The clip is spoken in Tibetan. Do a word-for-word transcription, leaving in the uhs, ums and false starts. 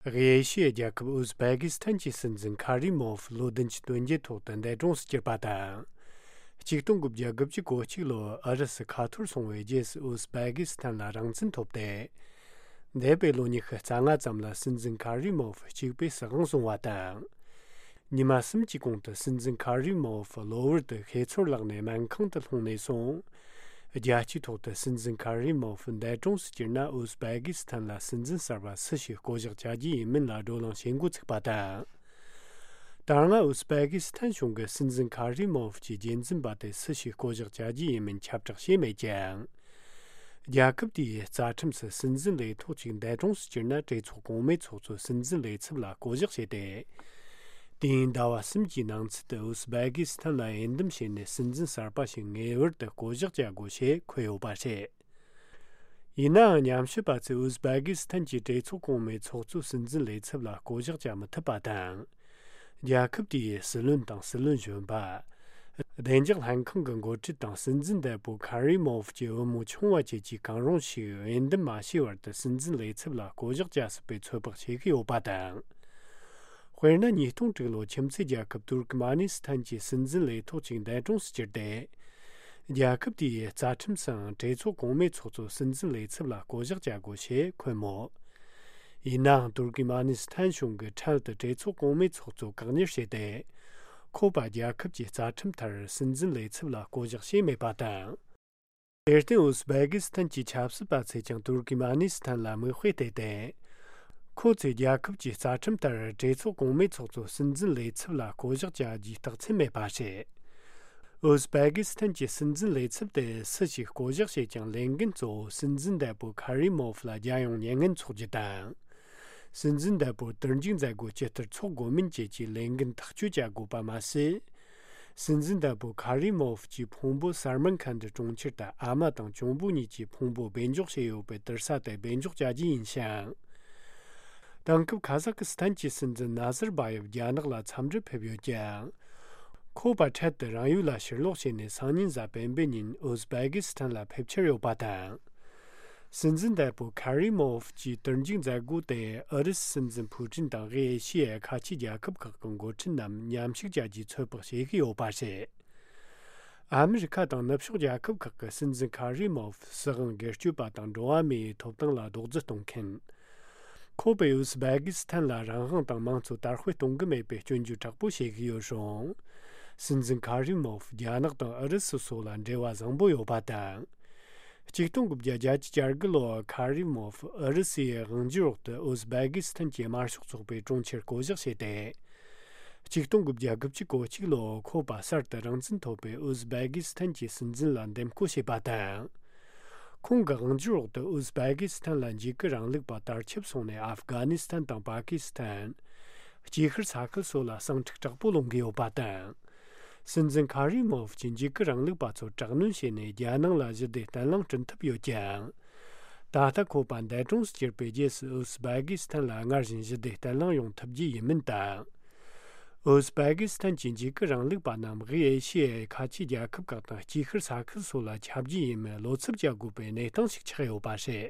དབུས་ཨེ་ཤི་ཡའི་རྒྱལ་ཁབ་ཨུ་ཟ་བེ་ཀི་སི་ཐན་གྱི་སྲིད་འཛིན་ཁ་རི་མོ་ཧྥ་ལོ་བདུན་ཅུ་དོན་བརྒྱད་ཐོག་ཏུ་འདས་གྲོངས་སུ་གྱུར་པ་དང་། ཆིག་སྟོང་དགུ་བརྒྱ་དགུ་བཅུ་གོ་གཅིག་ལོར་ཨུ་རུ་སུ་ཁ་ཐོར་སོང་བའི་རྗེས་སུ་ཨུ་ཟ་བེ་ཀི་སི་ཐན་ལ་རང་བཙན་ཐོབ་སྟེ། འདས་པའི་ལོ་ཉི་ཤུ་རྩ་ལྔ་ཙམ་ལ་སྲིད་འཛིན་ཁ་རི་མོ་ཧྥ་གཅིག་པུས་སྲིད་དབང་བཟུང་བ་དང་། ཉི་མ་གསུམ་གྱི་གོང་དུ་སྲིད་འཛིན་ཁ་རི་མོ་ཧྥ་གློ་བུར་དུ་ཤེས་ཚོར་བརླག་ནས་སྨན་ཁང་དུ་ལྷུང་ནས་སོང་། རྒྱལ་སྤྱིའི་ཐོག་ཏུ་སྲིད་འཛིན་ཁ་རི་མོ་ཧྥ་འདས་གྲོངས་སུ་གྱུར་ན་ཨུ་ཟ་བེ་ཀི་སི་ཐན་ལ་སྲིད་འཛིན་གསར་པ་སུ་ཞིག་བསྐོ་གཞག་བྱ་རྒྱུ་ཡིན་མིན་ལ་བགྲོ་གླེང་བྱེད་འགོ་ཚུགས་པ་དང་། ད་སྔ་ཨུ་ཟ་བེ་ཀི་སི་ཐན་གཞུང་གིས་སྲིད་འཛིན་ཁ་རི་མོ་ཧྥ་གྱི་རྒྱུན་འཛིན་པ་དེ་སུ་ཞིག་བསྐོ་གཞག་བྱ་རྒྱུ་ཡིན་མིན་ཁྱབ་བསྒྲགས་བྱས་མེད་ཀྱང་། རྒྱལ་ཁབ་དེའི་རྩ་ཁྲིམས་སུ་སྲིད་འཛིན་ལས་ཐོག་ཅིག་འདས་གྲོངས་སུ་གྱུར་ན་གྲོས་ཚོགས་གོང་མའི་ཚོགས་གཙོས་སྲིད་འཛིན་ལས་ཚབ་ལ་བསྐོ་གཞག་བྱས་ཏེ། དུས་ཡུན་ཟླ་བ་གསུམ་གྱི་ནང་ཚུད་དུ་ཨུ་ཟ་བེ་ཀི་སི་ཐན་ལ་འོས་འདེམས་བྱས་ནས་སྲིད་འཛིན་གསར་པ་ཞིག་ངེས་པར་དུ་བསྐོ་གཞག་བྱ་དགོས་ཞེས་འཁོད་ཡོད་པ་རེད། ཡིན་ནའང་ཉམས་ཞིབ་པ་ཚོས་ཨུ་ཟ་བེ་ཀི་སི་ཐན་གྱི་གྲོས་ཚོགས་གོང་མའི་ཚོགས་གཙོས་སྲིད་འཛིན་ལས་ཚབ་ལ་བསྐོ་གཞག་བྱ་མི་ཐུབ་པ་དང་། རྒྱལ་ཁབ་དེའི་སྲིད་བློན་དང་སྲིད་བློན་གཞོན་པ། བདེ་འཇགས་ལྷན་ཁང་གི་འགོ་ཁྲིད་དང་སྲིད་འཛིན་འདས་པོ་ཁ་རི་མོ་ཧྥ་གྱི་བུ་མོ་ཆུང་བ་བཅས་ཀྱིས་གང་རུང་ཞིག་འོས་འདེམས་མ་བྱས་བར་དུ་སྲིད་འཛིན་ལས་ཚབ་ལ་བསྐོ་གཞག་བྱ་སྲིད་པའི་ཚོད་དཔག་བྱེད་ཀྱི་ཡོད་པ་དང་། དཔེར་ན་ཉིས་སྟོང་དྲུག་ལོར་ཁྱིམ་མཚེས་རྒྱལ་ཁབ་ཏུར་ཀི་མ་ནི་སི་ཐན་གྱི་སྲིད་འཛིན་ལས་ཐོག་ཅིག་འདས་གྲོངས་སུ་གྱུར་ཏེ། རྒྱལ་ཁབ་དེའི་རྩ་ཁྲིམས་སུའང་གྲོས་ཚོགས་གོང་མའི་ཚོགས་གཙོ་སྲིད་འཛིན་ལས་ཚབ་ལ་བསྐོ་གཞག་བྱ་དགོས་ཞེས་འཁོད་མོད། ཡིན་ནའང་ཏུར་ཀི་མ་ནི་སི་ཐན་གཞུང་གིས་འཕྲལ་དུ་གྲོས་ཚོགས་གོང་མའི་ཚོགས་གཙོ་བཀག་ཉར་བྱས་ཏེ། ཁོ་པ་རྒྱལ་ཁབ་ཀྱི་རྩ་ཁྲིམས་ལྟར་སྲིད་འཛིན་ལས་ཚབ་ལ་བསྐོ་གཞག་བྱས་མེད་པ་དང་། དེར་བརྟེན་ཨུ་ཟ་བེ་ཀི་སི་ཐན་གྱི་ཆབ་སྲིད་པ་ཚོས་ཀྱང་ཏུར་ཀི་མ་ནི་སི་ཐན་ལ་མིག་དཔེ་བལྟས་ཏེ། ཁོ་ཚོས་རྒྱལ་ཁབ་ཀྱི་རྩ་ཁྲིམས་ལྟར་གྲོས་ཚོགས་གོང་མའི་ཚོགས་གཙོ་སྲིད་འཛིན་ལས་ཚབ་ལ་བསྐོ་གཞག་བྱ་རྒྱུའི་རྟགས་མཚན་མེད་པ་རེད། ཨུ་ཟ་བེ་ཀི་སི་ཐན་གྱི་སྲིད་འཛིན་ལས་ཚབ་དེ་སུ་ཞིག་བསྐོ་གཞག་བྱེད་ཀྱང་ལས་འགན་གཙོ་བོ་སྲིད་འཛིན་འདས་པོ་ཁ་རི་མོ་ཧྥ་ལ་རྒྱལ་ཡོངས་མྱ་ངན་འཚོགས་རྒྱུ་དང་། སྲིད་འཛིན་འདས་པོར་དུར་འཇུག་མཛད་སྒོ་ཇི་ལྟར་འཚོགས་དགོས་མིན་བཅས་ཀྱི་ལས་འགན་ཐག་གཅོད་བྱ་དགོས་པ་མ་ཟད། སྲིད་འཛིན་འདས་པོ་ཁ་རི་མོ་ཧྥ་གྱི་ཕུང་པོ་གསར་སྨན་ཁན་དུ་གྲོང་ཁྱེར་དུ་ཨ་མ་དང་གཅུང་པོ་གཉིས་ཀྱི་ཕུང་པོ་སྦས་འཇོག་བྱས་ཡོད་པའི་དུར་ས་དེ་སྦས་འཇོག་བྱ་རྒྱུ་ཡིན་ཞིང་། དེང་སྐབས་ཁ་ཟག་གི་སི་ཐན་གྱི་སྲིད་འཛིན་ནཱ་ཟར་བྷ་ཡེབ་རྒྱ་ནག་ལ་འཚམས་འདྲིར་ཕེབས་ཡོད་ཀྱང་། ཁོ་པ་འཕྲལ་དུ་རང་ཡུལ་ལ་ཕྱིར་ལོག་བྱས་ནས་སང་ཉིན་གཟའ་སྤེན་པའི་ཉིན་ཨུ་ཟ་བེ་ཀི་སི་ཐན་ལ་ཕེབས་འཆར་ཡོད་པ་དང་། སྲིད་འཛིན་འདས་པོ་ཁ་རི་མོ་ཧྥ་གྱི་དུར་འཇུག་མཛད་སྒོ་དེ་ཨུ་རུ་སུའི་སྲིད་འཛིན་ཕུའུ་ཀྲིན་དང་དབུས་ཨེ་ཤི་ཡའི་ཁ་ཆེའི་རྒྱལ་ཁབ་ཁག་གི་འགོ་ཁྲིད་རྣམས་མཉམ་ཞུགས་བྱ་རྒྱུའི་ཚོད་དཔག་བྱེད་ཀྱི་ཡོད་པ་རེད། ཨ་མི་རི་ཁ་དང་ནུབ་ཕྱོགས་རྒྱལ་ཁབ་ཁག་གི་སྲིད་འཛིན་ཁ་རི་མོ་ཧྥ་སྲིད་དབང་སྒེར་གཅོད་པ་དང་འགྲོ་བ་མིའི་ཐོབ་ཐང་ལ་རྡོག་རྫིས་གཏོང་མཁན། ཁོ་པས་ཨུ་ཟ་བེ་ཀི་སི་ཐན་ལ་རང་དབང་དང་མང་གཙོ་དར་སྤེལ་གཏོང་གི་མེད་པའི་སྐྱོན་བརྗོད་དྲག་པོ་བྱེད་ཀྱི་ཡོད་རུང་། སྲིད་འཛིན་ཁ་རི་མོ་ཧྥ་རྒྱ་ནག་དང་ཨུ་རུ་སུ་སོགས་ལ་འབྲེལ་བ་བཟང་པོ་ཡོད་པ་དང་། ཆིག་སྟོང་དགུ་བརྒྱ་བརྒྱད་ཅུ་གྱ་དགུ་ལོར་ཁ་རི་མོ་ཧྥ་ཨུ་རུ་སུའི་དབང་སྒྱུར་འོག་ཏུ་ཨུ་ཟ་བེ་ཀི་སི་ཐན་གྱི་དམར་ཤོག་ཚོགས་པའི་དྲུང་ཆེར་བསྐོ་གཞག་བྱས་ཏེ། ཆིག་སྟོང་དགུ་བརྒྱ་དགུ་བཅུ་གོ་གཅིག་ལོར་ཁོ་པ་གསར་དུ་རང་བཙན་ཐོབ་པའི་ཨུ་ཟ་བེ་ཀི་སི་ཐན་གྱི་སྲིད་འཛིན་ལ་འདེམས་བསྐོ་བྱས་པ་དང་། ཁོང་གི་དབང་སྒྱུར་འོག་ཏུ་ཨུ་ཟ་བེ་ཀི་སི་ཐན་ལ་འཇིགས་སྐུལ་རིང་ལུགས་པ་དར་ཁྱབ་སོང་ནས་ཨབ་གྷ་ནི་སི་ཐན་དང་པ་ཀི་སི་ཐན། དཀྱིལ་ཤར་ས་ཁུལ་སོགས་ལ་ཟིང་འཁྲུག་དྲག་པོ་སློང་གི་ཡོད་པ་དང་། སྲིད་འཛིན་ཁ་རི་མོ་ཧྥ་གྱིས་འཇིགས་སྐུལ་རིང་ལུགས་པ་ཚོར་དྲག་གནོན་བྱས་ནས་རྒྱལ་ནང་ལ་ཞི་བདེ་བརྟན་ལྷིང་བསྐྲུན་ཐུབ་ཡོད་ཀྱང་། ད་ལྟ་ཁོ་པ་འདས་གྲོངས་སུ་གྱུར་པའི་རྗེས་སུ་ཨུ་ཟ་བེ་ཀི་སི་ཐན་ལ་སྔར་བཞིན་ཞི་བདེ་བརྟན་ལྷིང་ཡོང་ཐུབ་རྒྱུ་ཡིན་མིན་དང་། ཨུ་ཟ་བེ་ཀི་སི་ཐན་གྱི་འཇིགས་སྐུལ་རིང་ལུགས་པ་རྣམས་དབུས་ཨེ་ཤི་ཡའི་ཁ་ཆེའི་རྒྱལ་ཁབ་ཁག་དང་དཀྱིལ་ཤར་ས་ཁུལ་སོགས་ལ་ཁྱབ་རྒྱུ་ཡིན་མིན་བློ་འཚབ་བྱ་དགོས་པའི་གནས་སྟངས་ཤིག་ཆགས་ཡོད་པ་རེད།